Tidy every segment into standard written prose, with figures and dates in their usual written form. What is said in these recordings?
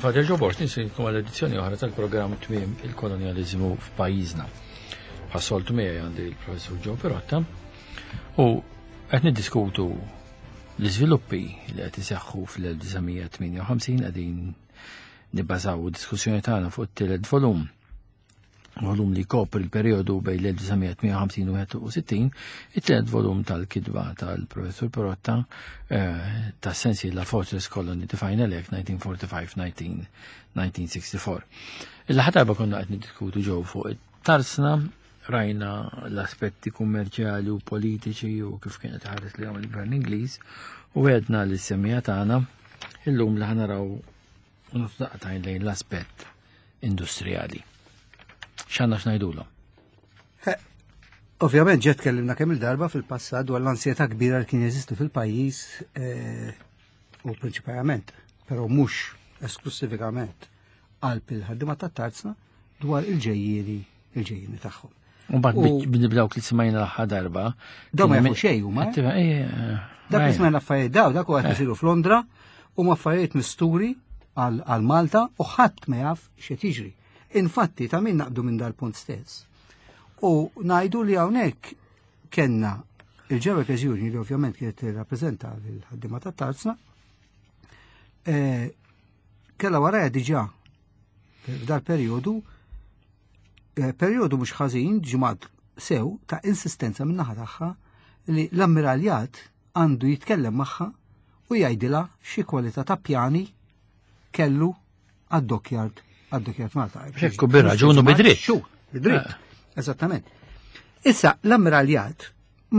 Fader Joe Borg, nisilkom għal edizzjoni oħra tal-programm Tmiem il-Kolonjaliżmu f'pajjiżna. Bħas-soltu miegħi għandi l-Professur Joe Pirotta u qed niddiskutu l-iżviluppi li qed iseħħu fl-1958 qegħdin nibbażaw id-diskussjoni tagħna fuq it-tielet volum volum li jkopri l-periodu bejn l-1958 u 61, it-tielet volum tal-kitba tal-Professur Perotta eh, ta' sensi la Fortress Colony the Final Act 1945-1964. Il-ħadd darba konna qed niddiskutu ġew fuq it-tarsna rajna l-aspetti kummerċjali u politiċi u kif kienet ħares li il-Gvern Ingliż u għedna li s-semija tagħna illum li ħanaraw u nutdaqtajn lejn l-aspett industrijali. X'għandna x'ngħidulhom? Ovvjament ġet tkellimna kemm il-darba fil-passat dwar l-ansjetà kbira li kien jeżisti fil-pajjiż eh, u prinċipalment, però mhux esklusivikament qalb il-ħaddiema tat-tarzna dwar il-ġejjieni il-ġejjieni tagħhom. U mbagħad bnibdawk li smajna l-aħħar darba. Daw ma jafu xejn huma. Eh? Eh, dak li smajna affarijiet daw dak huwa qed isiru f'Londra huma affarijiet misturi għal Malta u ħadd ma jaf x'qed jiġri. Infatti ta' min naqbdu minn dal-punt stess. U ngħidu li hawnhekk kellna il-Ġewek Union li ovvjament kienet tirrappreżenta l-ħaddiema tat-tarzna, eh, kella waraja diġà f'dal perjodu eh, perjodu mhux ħażin ġimgħat sew ta' insistenza minn naħa tagħha li l-ammiraljat għandu jitkellem magħha u jgħidilha xi kwalità ta' pjani kellu għad-dockyard għad-dockyard Malta. Ekku bir-raġun u bidritt. Xu, bidritt. Eh. Eżattament. Issa l-ammiraljat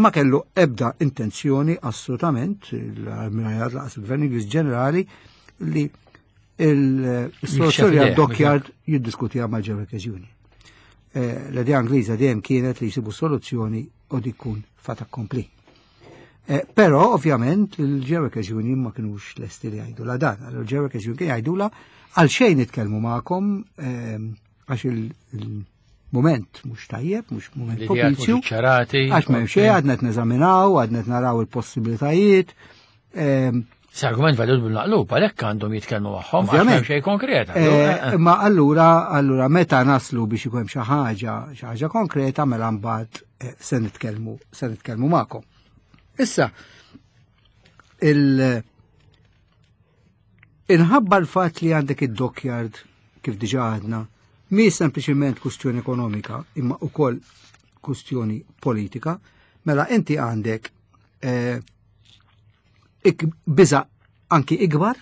ma kellu ebda intenzjoni assolutament, l-ammiraljat laqas il-Gvern Ingliż ġenerali li Il-soluzzjoni għad-dockyard jiddiskutiha mal-Ġewekes Union. Eh, l-idea Ingliża dejjem kienet li jsibu soluzzjoni u dik fat accompli. Eh, però ovvjament il-Ġewekes Union ma kinux lesti li jgħidu la dan. Il-Ġewekes Union kien jgħidula għal xejn nitkellmu magħkom eh, għax il-moment mhux tajjeb, mhux moment propizju. Għax m'hemm xejn għadna qed neżaminaw, għadna qed naraw il-possibilitajiet. Se argument valid bil-naqlub, għalhekk għandhom jitkellmu magħhom, għax xejn konkreta. Eh, eh, eh. Imma allura, allura meta naslu biex ikun hemm xi ħaġa, xi ħaġa konkreta mela mbagħad se nitkellmu, se nitkellmu magħkom. Issa, il inħabba l-fatt li għandek id-dockyard kif diġà għadna, mi sempliċement kustjoni ekonomika, imma ukoll kustjoni politika, mela inti għandek eh, biża anki ikbar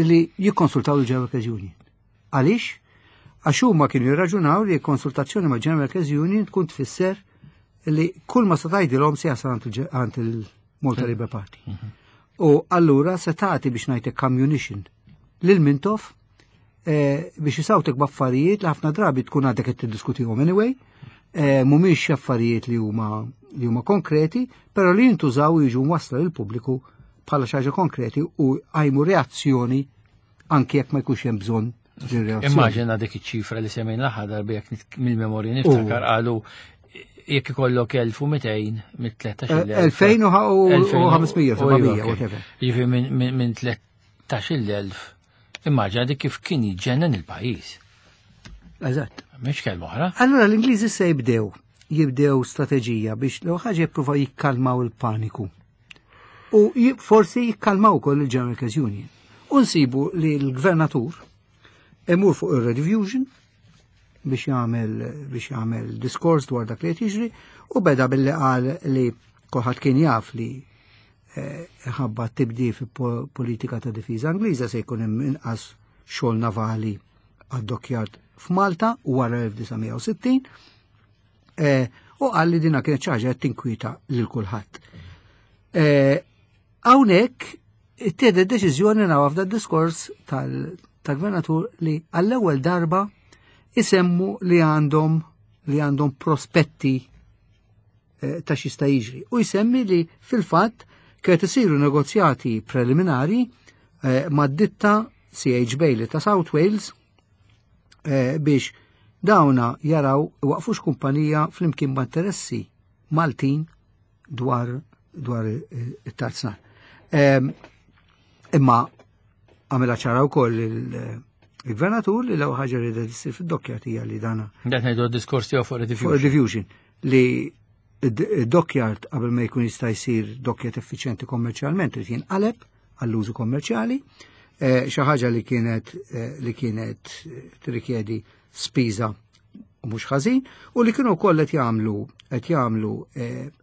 li jikkonsultaw il-General Workers Union. Għaliex? Għax huma kienu jirraġunaw li konsultazzjoni ma' General Workers Union tkun tfisser li kull ma se tgħidilhom se jasal għand il-Malta Labour Party. Mhm. U allura se tagħti biex ngħidlek ammunition lil Mintoff eh, biex jisawtek b'affarijiet li ħafna drabi tkun għadek qed tiddiskutihom anyway, eh, mhumiex affarijiet li huma li huma konkreti, però li jintużaw jiġu wasla lil pubbliku bħala xi ħaġa konkreti u għajmu reazzjoni anki jekk ma jkunx hemm bżonn Immaġina dik iċ-ċifra li semmejna l-aħħar darba jekk mill-memorja niftakar qalu jekk ikollok 1200 mit-13,000. 2500, 700, whatever. Jiġifieri minn 13,000 Immaġina dik kif kien jiġġennen il-pajjiż. Eżatt. Mhix kelma oħra. Allura l-Ingliżi se jibdew jibdew strateġija biex l ħaġa jippruvaw jikkalmaw il-paniku. U forsi jikkalmaw ukoll il-General Workers Union. U nsibu li l-gvernatur imur fuq ir-Red biex jagħmel biex jagħmel diskors dwar dak li qed jiġri u beda billi qal li kulħadd kien jaf li eh, ħabba tibdi fi politika ta' difiża Ingliża se jkun hemm inqas xogħol navali għad-dockyard f'Malta wara 1960 eh, u qal li dina kienet xi ħaġa qed tinkwieta lil kulħadd. Eh, hawnhekk ittieħdet deċiżjoni naw f'da diskors tal-gvernatur li għall-ewwel darba isemmu li għandhom li għandhom prospetti Eh, ta' xista jiġri. U jsemmi li fil-fatt kienet isiru negozjati preliminari eh, mad-ditta CH Bailey ta' South Wales eh, biex dawna jaraw waqfux kumpanija flimkien ma' interessi Maltin dwar dwar it-tarznar. Ehm, imma Għamilha ċara wkoll il-gvernatur li l-ewwel ħaġa li ssir fid-dockyard hija li dana. Qed ngħidu d-diskors tiegħu fuq rediffusion. Fuq rediffusion li id-dockyard qabel ma jkun jista' jsir dockyard effiċjenti kommerċjalment irid jinqaleb għall-użu kommerċjali, xi ħaġa li kienet li kienet tirrikjedi spiża u mhux ħażin, u li kienu wkoll qed jagħmlu qed jagħmlu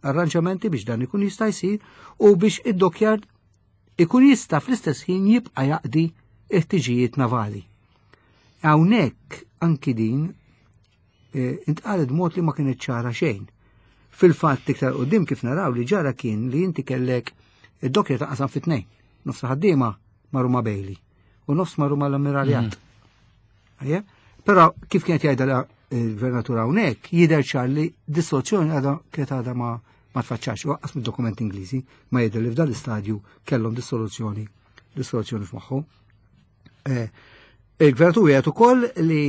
arranġamenti biex dan ikun jista' jsir u biex id-dockyard ikun jista' fl-istess ħin jibqa' jaqdi ħtiġijiet navali. Hawnhekk anki din intqalet b'mod li ma kienet ċara xejn. Fil-fatt iktar qudiem kif naraw li ġara kien li inti kellek id-dockyard taqsam fit tnejn. Nofs ħaddiema marru ma' Bailey u nofs marru mal-ammiraljat. Però kif kienet jgħidha il-gvernatur hawnhekk jidher ċar li dissoluzzjoni għadha kienet għadha ma tfaċċax, u lanqas mid-dokumenti Ingliżi ma jidher li f'dan l-istadju kellhom dissoluzzjoni f'moħħhom. Il-gvernatur jgħid ukoll li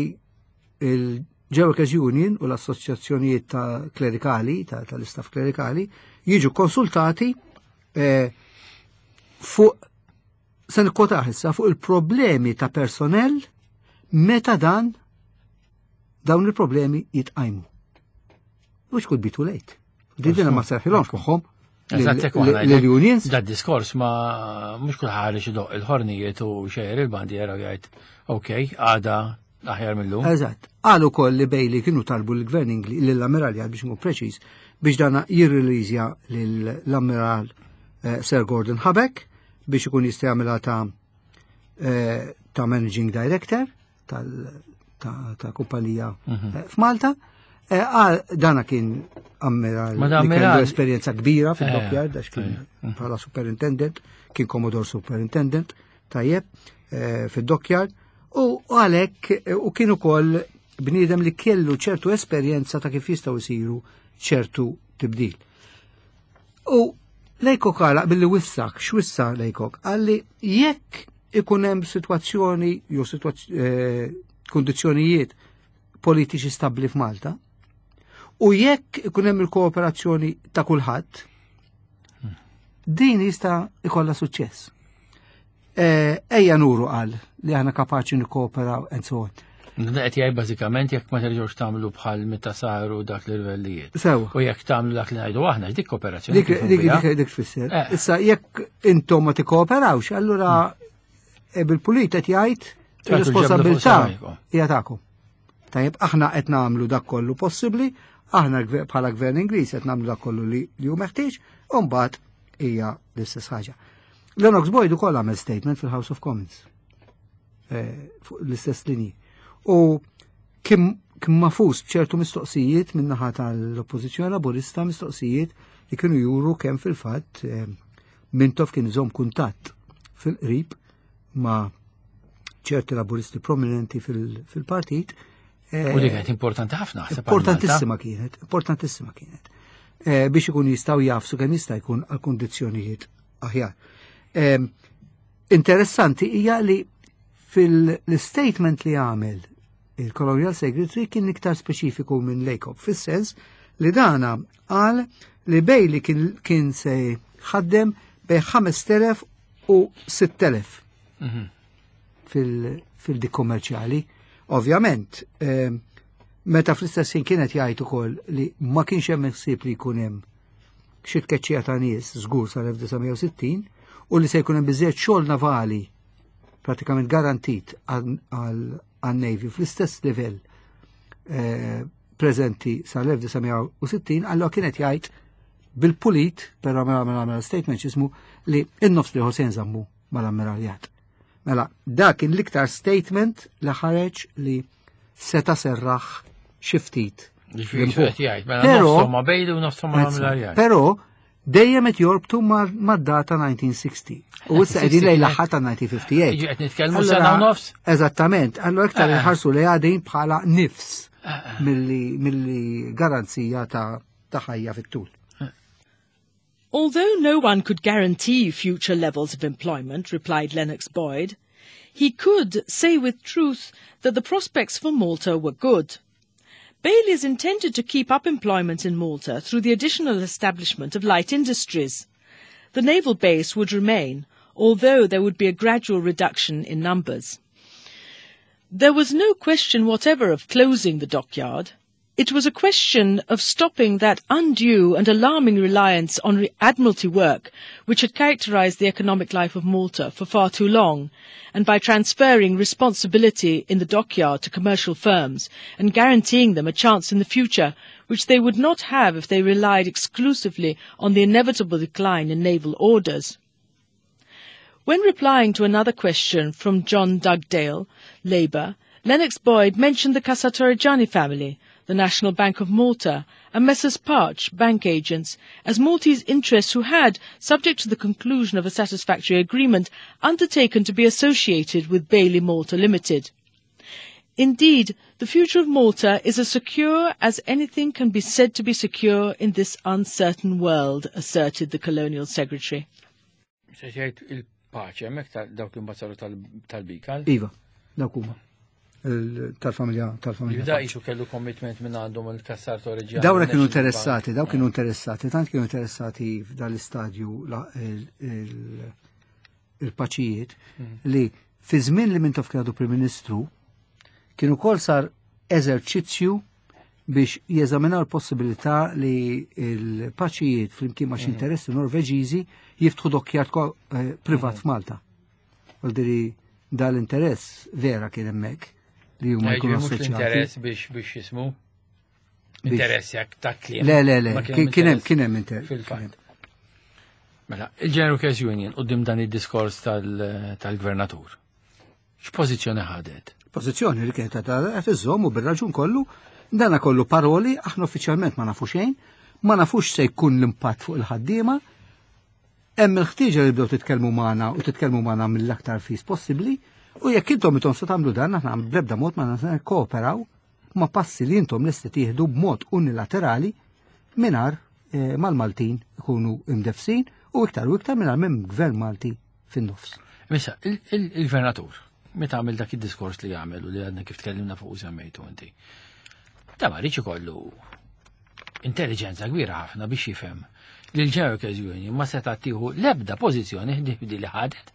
il-General Workers Union u l-assoċjazzjonijiet ta' klerikali, tal-istaff klerikali, jiġu konsultati fuq, se nikkwotah issa, fuq il-problemi ta' personnel meta dawn il-problemi jitqajmu. Which could be too late. Didina ma serħilhomx moħħhom l-unions. Da diskors ma mhux kulħadd ħareġ idoq il-ħornijiet u xejjer il-bandiera u jgħid ok, għada aħjar mill-lum. Eżatt. Qalu wkoll li Bailey kienu talbu l-gvern Ingli lill-ammiraljat biex nkun preċiż biex dana jirreleasja lill-ammiral Sir Gordon Habeck biex ikun jista' jagħmilha ta' managing director ta' kumpanija f'Malta. Dana kien ammiral Ma da li kellu esperjenza kbira fil-dockyard, għax kien bħala superintendent, kien Commodore Superintendent, tajjeb, fil-dockyard, u għalhekk u kien ukoll bniedem li kellu ċertu esperjenza ta' kif jistgħu jsiru ċertu tibdil. U Laycock għalaq billi wissak, x'wissa Laycock? Qalli jekk ikun hemm sitwazzjoni jew kondizzjonijiet politiċi stabbli f'Malta, u jekk ikun hemm il-kooperazzjoni ta' kulħadd, din jista' ikollha suċċess. Ejja nuru, qal, li aħna kapaċi nikkooperaw and so on. Qed jgħid bażikament jekk ma terġgħux tagħmlu bħal meta saru dak l-irvellijiet. Sewa. U jekk tagħmlu dak li ngħidu aħna, dik kooperazzjoni. Dik dik dik dik tfisser. Issa jekk intom ma tikkooperawx, allura bil-pulit qed jgħid Tagħtu l-ġebla fuq ir-responsabilità saqajkom. hija tagħkom. Tajjeb, aħna qed nagħmlu dak kollu possibbli, aħna bħala gvern Ingliż qed nagħmlu dak kollu li hu meħtieġ, u mbagħad hija l-istess ħaġa. Lennox Boyd ukoll għamel statement fil-House of Commons fuq l-istess linji. U kien mafus b'ċertu mistoqsijiet min-naħa tal-Oppożizzjoni Laburista, mistoqsijiet li kienu juru kemm fil-fatt Mintoff kien iżomm kuntatt fil-qrib ma' ċerti laburisti prominenti fil-partit. U dik kienet importanti ħafna, ħseb għal Malta. Importantissima kienet, importantissima kienet. Biex ikun jistgħu jafsu kemm jista' jkun għal kundizzjonijiet aħjar. Interessanti hija li fil-statement li għamel il-Colonial Secretary kien iktar speċifiku minn Laycock, fis-sens li dana qal li Bailey kien se ħaddem bejn 5,000 u 6,000 fil-dik kommerċjali. Ovvjament, meta fl-istess ħin kienet jgħid ukoll li ma kienx hemm ħsieb li jkun hemm xi tkeċċija ta' nies żgur sal-1960 u li se jkun hemm biżejjed xogħol navali pratikament garantit għal-Navy fl-istess livell preżenti sal-1960, allora kienet jgħid bil-pulit, però mela statement x'ismu li in-nofs li se nżammu mal-ammiraljat. Mela, dak kien l-iktar statement li ħareġ li seta serraħ xi ftit. Ġifieri L-imħuħ. x'qed jgħid, mela nofshom ma' Bailey u nofshom ma' l-ammiraljat. Però dejjem qed jorbtu mad-data 1960. U issa qegħdin lejn l-aħħar ta' 1958. Jiġi qed nitkellmu sena u nofs? Eżattament, allora iktar inħarsu li għadin bħala nifs milli garanzija ta' ħajja fit-tul. Although no one could guarantee future levels of employment, replied Lennox Boyd, he could say with truth that the prospects for Malta were good. Bailey's intended to keep up employment in Malta through the additional establishment of light industries. The naval base would remain, although there would be a gradual reduction in numbers. There was no question whatever of closing the dockyard. It was a question of stopping that undue and alarming reliance on Admiralty work which had characterized the economic life of Malta for far too long, and by transferring responsibility in the dockyard to commercial firms and guaranteeing them a chance in the future which they would not have if they relied exclusively on the inevitable decline in naval orders. When replying to another question from John Dugdale, Labour, Lennox Boyd mentioned the Cassar Torreggiani family, the National Bank of Malta, and Messrs. Parch, bank agents, as Maltese interests who had, subject to the conclusion of a satisfactory agreement, undertaken to be associated with Bailey Malta Limited. Indeed, the future of Malta is as secure as anything can be said to be secure in this uncertain world, asserted the Colonial Secretary. Se jgħid il-paċi hemmhekk dawk li mbagħad saru tal-Bikal. Iva, dawk huma. Tal-familja. Jibda jisu kellu commitment minn għandhom il-Cassar Torreggiani. Dawna kienu interessati, dawk kienu interessati, tant kienu interessati f'dal-istadju il-paċijiet li fi żmien li Mintoff kien għadu Prim Ministru kienu kol sar eżerċizzju biex jeżaminaw l-possibilità li l-paċijiet flimkien ma' xi interessi Norveġiżi jiftħu dockyard privat f'Malta. Vuol dal-interess vera kien hemmhekk li huma jkunu Mhux assoċjati. l-interess biex jismu. Interess jekk ta' kliem. Le, le, le, Ma kien hemm kien hemm interess kien hemm interess. Fil-fatt. Mela, il-General Workers Union quddiem dan id-diskors tal-gvernatur. X'pożizzjoni ħadet? Pożizzjoni li kienet qed iżżomm u bir-raġun kollu, dana kollu paroli, aħna uffiċjalment ma nafu xejn, ma nafux se jkun l-impatt fuq il-ħaddiema, hemm il-ħtieġa li bdew titkellmu magħna u titkellmu magħna mill-aktar fis possibbli, u jekk intom se tagħmlu dan aħna bl-ebda mod ma nistgħu kooperaw ma' passi li intom lesti tieħdu b'mod unilaterali mingħajr mal-Maltin ikunu imdefsin u iktar u iktar mingħajr minn gvern Malti fin-nofs. Missa, il-gvernatur, meta għamel dak id-diskors li għamel u li għadna kif tkellimna fuq u semmejtu inti, da ma rridx ikollu intelligenza kbira ħafna biex jifhem li l-General Workers Union ma seta' tieħu l-ebda pożizzjoni di li ħadet.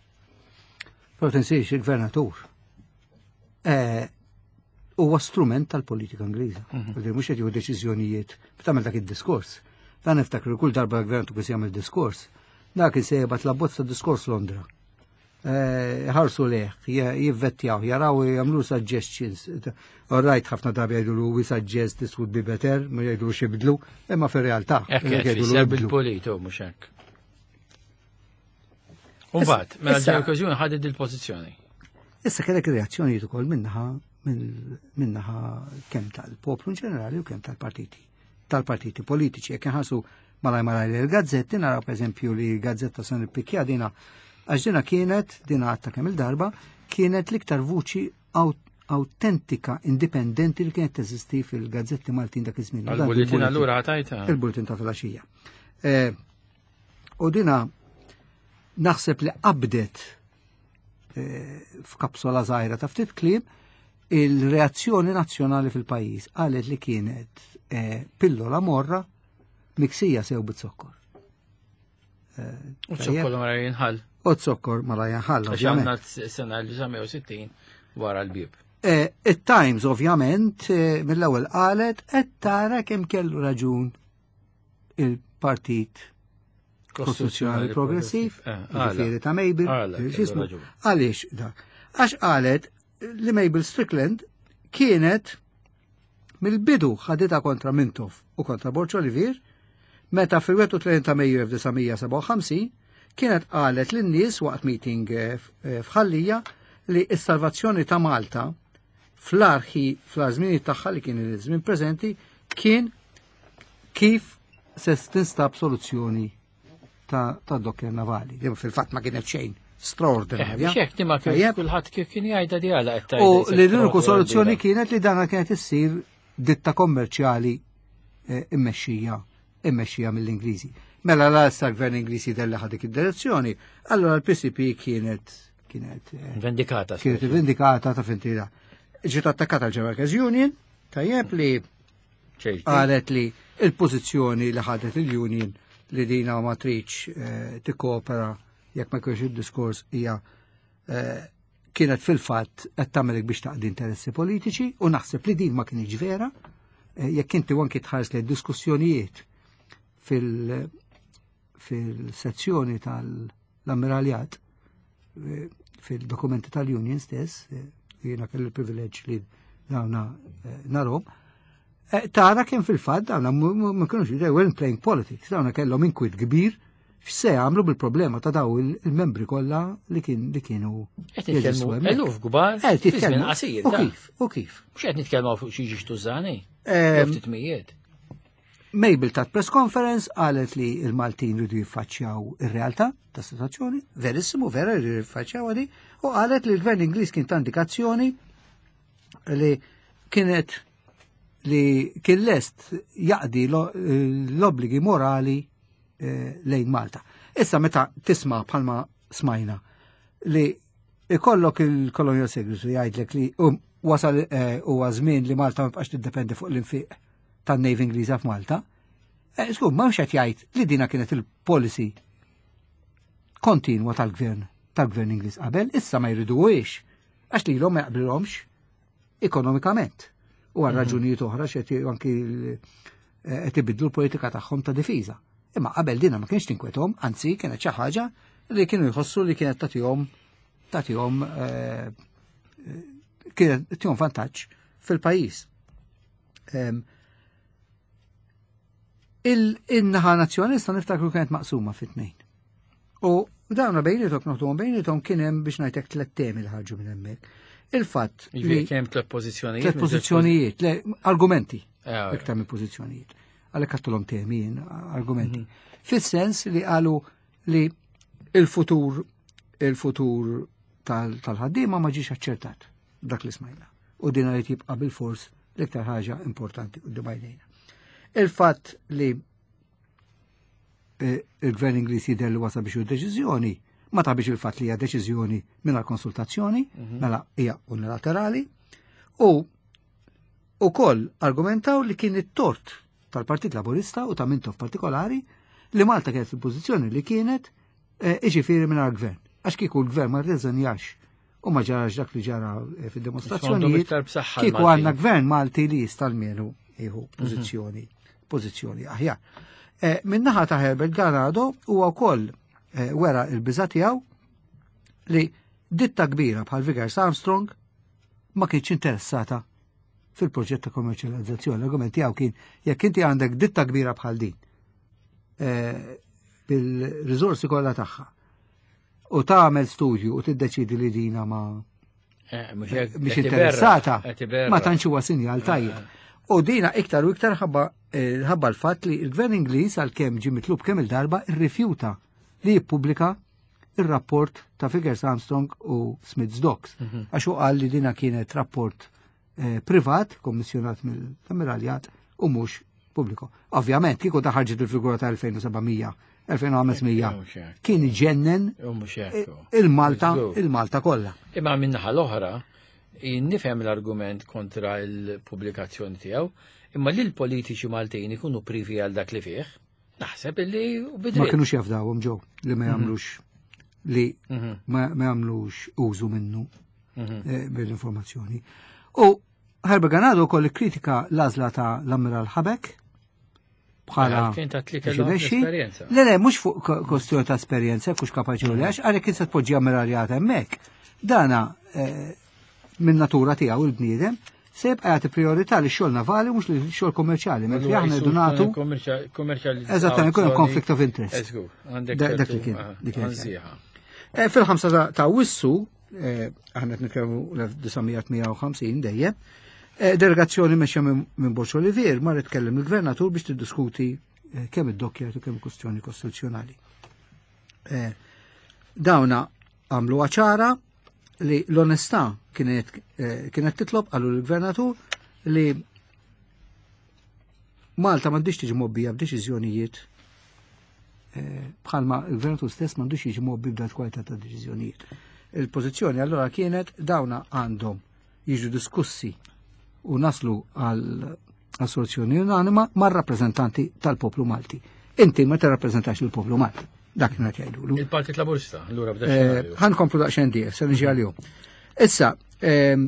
Però tinsiex il-gvernatur huwa strument tal-politika Ingliża. Mm Mhux qed jieħu deċiżjonijiet tagħmel dak id-diskors. Dan niftakru kull darba l-gvernatur kien jagħmel diskors, dak se jibgħat l-abbozz diskors Londra. Ħarsu leħ, jivvettjaw, jaraw jagħmlu suggestions. All right, ħafna drabi jgħidu we suggest this would be better, ma jgħidu xibdlu, imma fir-realtà. Hekk jgħidu qed bil-politu mhux hekk. Umbagħad, mela l-General Workers Union ħadet il-pożizzjoni. Issa kellek reazzjonijiet ukoll minnaħa kemm tal-poplu in ġenerali u kemm tal-partiti politiċi. Jekk inħarsu malaj malaj l-gazzetti, naraw per eżempju li gazzetta se nippikja dina, għax dina kienet, dina għatta kemm il-darba, kienet l-iktar vuċi autentika, indipendenti li kienet teżisti fil-gazzetti Maltin dak iż-żmien. Dan Il-bulletin il-bulletin. allura ħatajta. Il-bulletin ta' filgħaxija. U dina naħseb li qabdet f'kapsola żgħira ta' ftit kliem il-reazzjoni nazzjonali fil-pajjiż qalet li kienet pillola morra miksija sew bit-zokkor. U zokkor ma jinħall. U zokkor ma la jinħall, Għax ovvjament. għandna s-sena 1960 wara l-bib. Il-Times ovvjament mill-ewwel qalet qed tara kemm kellu raġun il-Partit Kostituzzjonali Progressiv, ġifieri ta' Mabel, Għala, kellu x'ismu? raġun. Għaliex da? Għax qalet li Mabel Strickland kienet mill-bidu ħaditha kontra Mintoff u kontra Borg Olivier, meta fil-31 ta' Mejju 1957 kienet qalet lin-nies waqt meeting f'Ħal Lija li s-salvazzjoni ta' Malta fl-arħi fl-żmien tagħha li kien il-żmien preżenti kien kif se tinstab soluzzjoni ta' dockyard navali. Li fil-fatt ma kienet xejn straordinarja. Biex hekk ma kif Tajjeb. kulħadd kif kien jgħidha di għala qed U tgħidha li l-uniku soluzzjoni kienet li dana kienet issir ditta kommerċjali immexxija mill-Ingliżi. Mela la issa l-gvern Ingliżi della ħadik id-direzzjoni, allora l-PCP kienet Vendikata. kienet vendikata ta' fintira. Ġiet attakkata l-General Workers Union, tajjeb li qalet li il-pożizzjoni li ħadet il-Union li dina ma tridx tikkopera Jekk ma jkunx id-diskors hija eh, kienet fil-fatt qed tagħmelek biex taqdi interessi politiċi u naħseb li din ma kienx vera. Eh, jekk inti anki tħares li diskussjonijiet fil-sezzjoni tal-ammiraljat eh, fil-dokumenti tal-Union stess, eh, jiena kelli l-privileġġ li dawna narhom, tara kien fil-fatt dawna ma kienux they weren't playing politics, dawna kellhom inkwit kbir x'se jagħmlu bil-problema ta' daw il-membri kollha li kien li kienu. Qed nitkellmu eluf kbar fi żmien qasir. U kif? U kif? Mhux qed nitkellmu fuq xi ġiex tużani. Ftit mijiet. Mabel tat press conference qalet li il-Maltin ridu jiffaċċjaw ir-realtà ta' situazzjoni, verissimu vera rridu jiffaċċjaw għadi, u qalet li l-gvern Ingliż kien ta' indikazzjoni li kienet li kien lest jaqdi l-obbligi morali eh, lejn Malta. Issa meta tisma' bħalma smajna li ikollok il-Colonial Secretary jgħidlek li um, wasal eh, huwa żmien li Malta ma bqax tiddependi fuq l-infiq tan-Navy Ingliża f'Malta. Eh, Skur, ma qed jgħid li dina kienet il-policy kontinwa tal-gvern tal-gvern Ingliż qabel, issa ma jriduhiex għax lilhom ma jaqblilhomx ekonomikament. U għal mhm. raġunijiet oħra xed anki eh, qed ibidlu l-politika tagħhom ta' difiża. Imma qabel dina ma kienx tinkwethom, anzi kienet xi ħaġa li kienu jħossu li kienet tagħtihom tagħtihom eh, kienet tagħtihom vantaġġ fil-pajjiż. Il-naħa nazzjonalista niftakru kienet maqsuma fit-tnejn. U dawna bejnietom noħduhom bejnietom kien hemm biex ngħidlek tliet temi li ħarġu minn hemmhekk. Il-fatt li kien hemm tliet pożizzjonijiet. Tliet pożizzjonijiet, le argumenti. Eh, iktar minn pożizzjonijiet. Għalhekk għattulhom temi jien argumenti. Mhm. Fis-sens li qalu li il-futur il-futur tal-ħaddiema ma ġiex aċċertat dak li smajna. U din li jibqa' bil-fors l-iktar ħaġa importanti quddiem għajnejna. Il-fatt li eh, il-gvern Ingliż jidher li wasal biex deċiżjoni, ma ta' biex il-fatt li hija deċiżjoni mingħajr konsultazzjoni, mhm. mela hija unilaterali, u ukoll argumentaw li kien it-tort tal-Partit Laburista u ta' Mintoff partikolari li Malta kienet fil-pożizzjoni li kienet eh, iġifieri mingħajr gvern. Għax kieku l-gvern ma rreżenjax u ma ġarax dak li ġara eh, fid-dimostrazzjonijiet. Kieku għandna gvern Malti li jista' almenu jieħu mhm. pożizzjoni pożizzjoni aħjar. Eh, min-naħa ta' Herbert Ganado huwa wkoll eh, wera il-biża tiegħu li ditta kbira bħal Vickers Armstrong ma kienx interessata fil-proġett ta' kommerċjalizzazzjoni. L-argument tiegħu kien jekk inti għandek ditta kbira bħal din bil-riżorsi kollha tagħha u tagħmel studju u tiddeċidi li dina ma eh, mhix interessata ma tantx huwa sinjal eh. tajjeb. U dina iktar u iktar ħabba eh, ħabba l-fatt li l-gvern Ingliż għalkemm ġie mitlub kemm il-darba rrifjuta li jippubblika il-rapport ta' Vickers Armstrong u Smith's Docks. Mhm. Għax u qal li dina kienet rapport privat, kommissjonat mill-ammiraljat u mhux pubbliku. Ovvjament, kieku da ħarġet il-figura ta' 2700, 2500, kien ġennen il-Malta, il-Malta kollha. Imma minnaħa l-oħra, nifhem l-argument kontra l-pubblikazzjoni tiegħu, imma li l-politiċi Maltin ikunu privi għal dak li fih, naħseb illi Ma kienux jafdawhom ġew li ma mhm. jagħmlux li mhm. ma jagħmlux użu minnu mhm. eh, bil-informazzjoni. U Herbert Ganado wkoll kritika l-għażla ta' l-Ammiral Ħabek bħala kien ta' tli kellhom esperjenza. Le le mhux fuq kwestjoni ta' esperjenza, kux kapaċi u lex, għalhekk kien se tpoġġi ammiraljat hemmhekk. Dana eh, minn natura tiegħu il-bniedem se jibqa' jagħti priorità li xogħol navali mhux li xogħol kommerċjali, mentri aħna rridu nagħtu Eżattament, ikun hemm conflict of interest. Dak li kien. Eh, fil-5 ta' Wissu, eh, aħna qed nitkellmu l-1958 dejjem, eh, delegazzjoni mexja minn Borċ Olivier marret tkellem il-gvernatur biex tiddiskuti kemm id-dokkjat u kemm kwestjoni kostituzzjonali. Dawna għamlu ċara li l-onestà kienet eh, kienet titlob għallu l-gvernatur li Malta m'għandix tiġi mobbija b'deċiżjonijiet eh, bħalma l-gvernatur stess m'għandux jiġi mobbi b'dat kwalità ta' deċiżjonijiet. Il-pożizzjoni allura kienet dawna għandhom jiġu diskussi u naslu għal soluzzjoni unanima mar-rappreżentanti tal-poplu Malti. Inti ma tirrappreżentax il-poplu Malti. Dak kien qed jgħidulu. Il-Partit Laburista, allura b'da eh, Ħa nkomplu daqsxejn dieq, se niġi għalihom. Issa, ehm,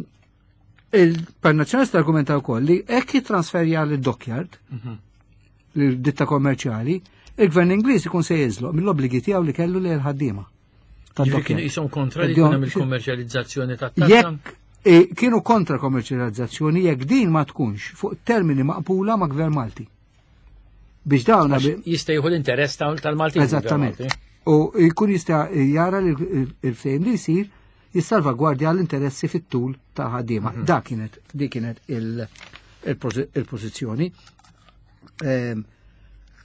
il-Partit Nazzjonalista argumenta wkoll li hekk jittransferja lid-dockyard, mhm. l-ditta kommerċjali, il-Gvern Ingliż ikun se jiżloq mill-obbligi tiegħu li kellu lejn il-ħaddiema. Kienu jisom kontra li jkun hemm il-kommerċjalizzazzjoni tat Jekk eh, kienu kontra kommerċjalizzazzjoni jekk din ma tkunx fuq termini maqbula ma' Gvern Malti. Biex dawn jista' jieħu l-interess tal-Malti. Eżattament. U jkun jista' jara li l-ftehim li jsir jissalvagwardja l-interessi fit-tul ta' ħaddiema. Mhm. Dak kienet dik kienet il-pożizzjoni. Ehm,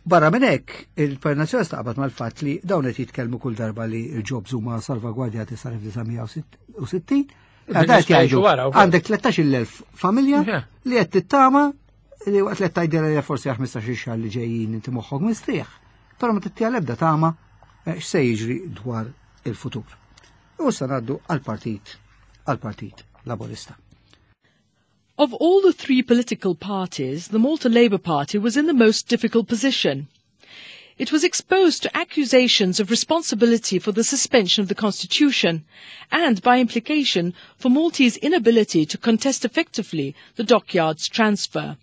barra minn hekk, il-Partit Nazzjonalista qabad mal-fatt li dawn qed jitkellmu kull darba li l-jobs huma salvagwardjati sal-1960. Għadak jgħidu għandek 13,000 familja li qed tittama li waqt li tgħidilha li forsi 15 xahar li ġejjin inti moħħok mistrieħ, però ma tittiha l-ebda tama eh, x'se jiġri dwar il-futur. U issa ngħaddu għall-partit għall-Partit Laburista. Of all the three political parties, the Malta Labour Party was in the most difficult position. It was exposed to accusations of responsibility for the suspension of the constitution and, by implication, for Maltese inability to contest effectively the dockyard's transfer.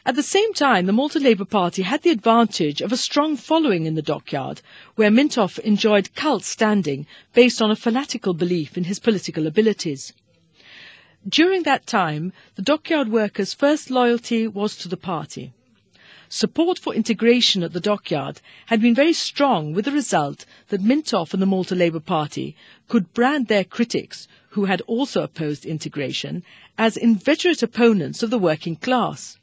At the same time, the Malta Labour Party had the advantage of a strong following in the dockyard, where Mintoff enjoyed cult standing based on a fanatical belief in his political abilities. During that time, the dockyard workers' first loyalty was to the party. Support for integration at the dockyard had been very strong with the result that Mintoff and the Malta Labour Party could brand their critics, who had also opposed integration, as inveterate opponents of the working class.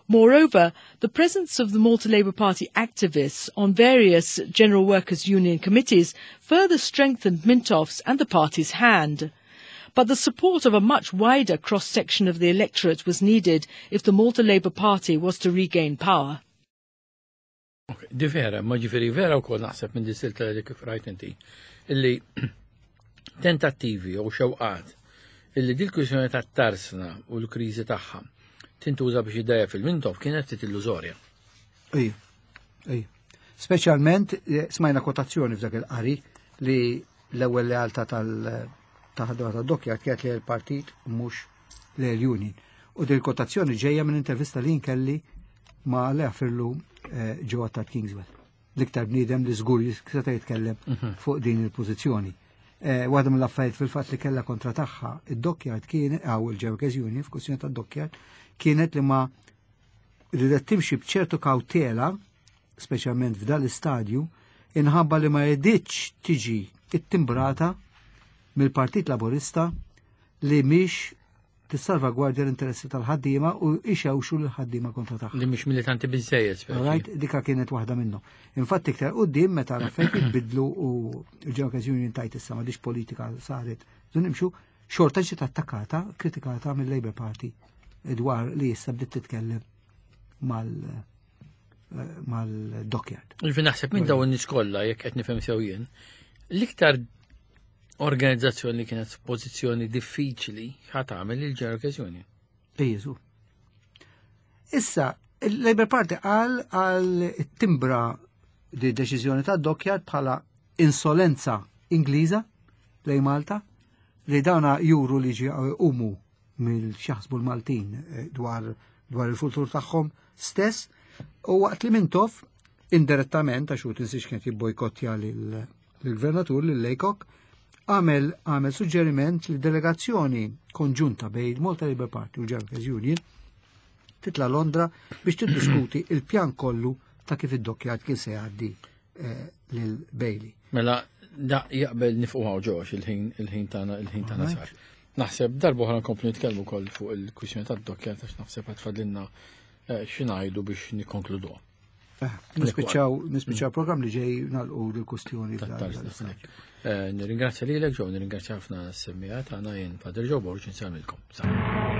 Moreover, the presence of the Malta Labour Party activists on various General Workers' Union committees further strengthened Mintoff's and the party's hand. But the support of a much wider cross-section of the electorate was needed if the Malta Labour Party was to regain power. Okay, di vera, ma ġifiri vera u kol naħseb minn di li kif rajt inti, illi tentattivi u xewqat illi dil kwistjoni ta' tarsna u l-kriżi tagħha tintuża biex idejja fil-Mintoff kienet ftit illużorja. Ej, ej. Speċjalment eh, smajna kotazzjoni f'dak il-qari li l-ewwel lealtà tal-ħadma tad-dokkja kienet li l-partit mhux l-union. U din kotazzjoni ġejja minn intervista li nkelli ma' Lea Firlu eh, ġewwa ta' Kingswell. L-iktar bniedem li żgur seta' jitkellem mhm. fuq din il-pożizzjoni. Eh, waħda mill-affarijiet fil-fatt li kellha kontra tagħha id-dockyard kien għaw il-Ġewkes Union f'kwistjoni tad-dockyard kienet li ma ridet timxi b'ċertu kawtela, speċjalment f'dal istadju, inħabba li ma jeditx tiġi ittimbrata mill-Partit Laburista li mhix tissalvagwardja l-interessi tal-ħaddiema u ixewxu l-ħaddiema kontra tagħha. Li mhux militanti biżejjed. Right, dika kienet waħda minnhom. Infatti iktar qudiem meta l-affarijiet jitbidlu u l-Ġewkes Union tajt issa m'għadix politika saret. Dun nimxu xorta ġiet attakkata, kritikata mill-Labour Party dwar li issa bdiet titkellem mal eh, mal-dockyard. Ġifieri naħseb minn dawn in-nies kollha jekk qed nifhem sew jien, l-iktar organizzazzjoni li kienet f'pożizzjoni diffiċli ħa tagħmel il-General Union. Iżu. Issa, il-Labour Party qal għal timbra di deċiżjoni ta' Dockyard bħala insolenza Ingliża lej Malta li dawna juru li ġi umu mill-xaħsbu l-Maltin eh, dwar dwar il-futur tagħhom stess u waqt li Mintoff indirettament għax hu tinsiex kien jibbojkottja lill-gvernatur lil Laycock għamel għamel suġġeriment li delegazzjoni konġunta bejn il-Malta Labour Party u l-Workers Union titla Londra biex tiddiskuti il-pjan kollu ta' kif id-dokkjat kien se jgħaddi eh, lil Bailey. Mela, da jaqbel nifqu għaw ġox il-ħin il-ħin tagħna il-ħin tagħna sar. Naħseb darba oħra nkomplu nitkellmu wkoll fuq il-kwistjoni tad-dokkjat għax naħseb qed fadlilna eh, xi ngħidu biex nikkonkluduha. Eh, nispiċċaw nispiċċaw program li ġej nagħlqu l-kustjoni. Eh, nirringrazzja lilek ġew, nirringrazzja ħafna s-semmija tagħna jien Padre Joe Borg insellmilkom.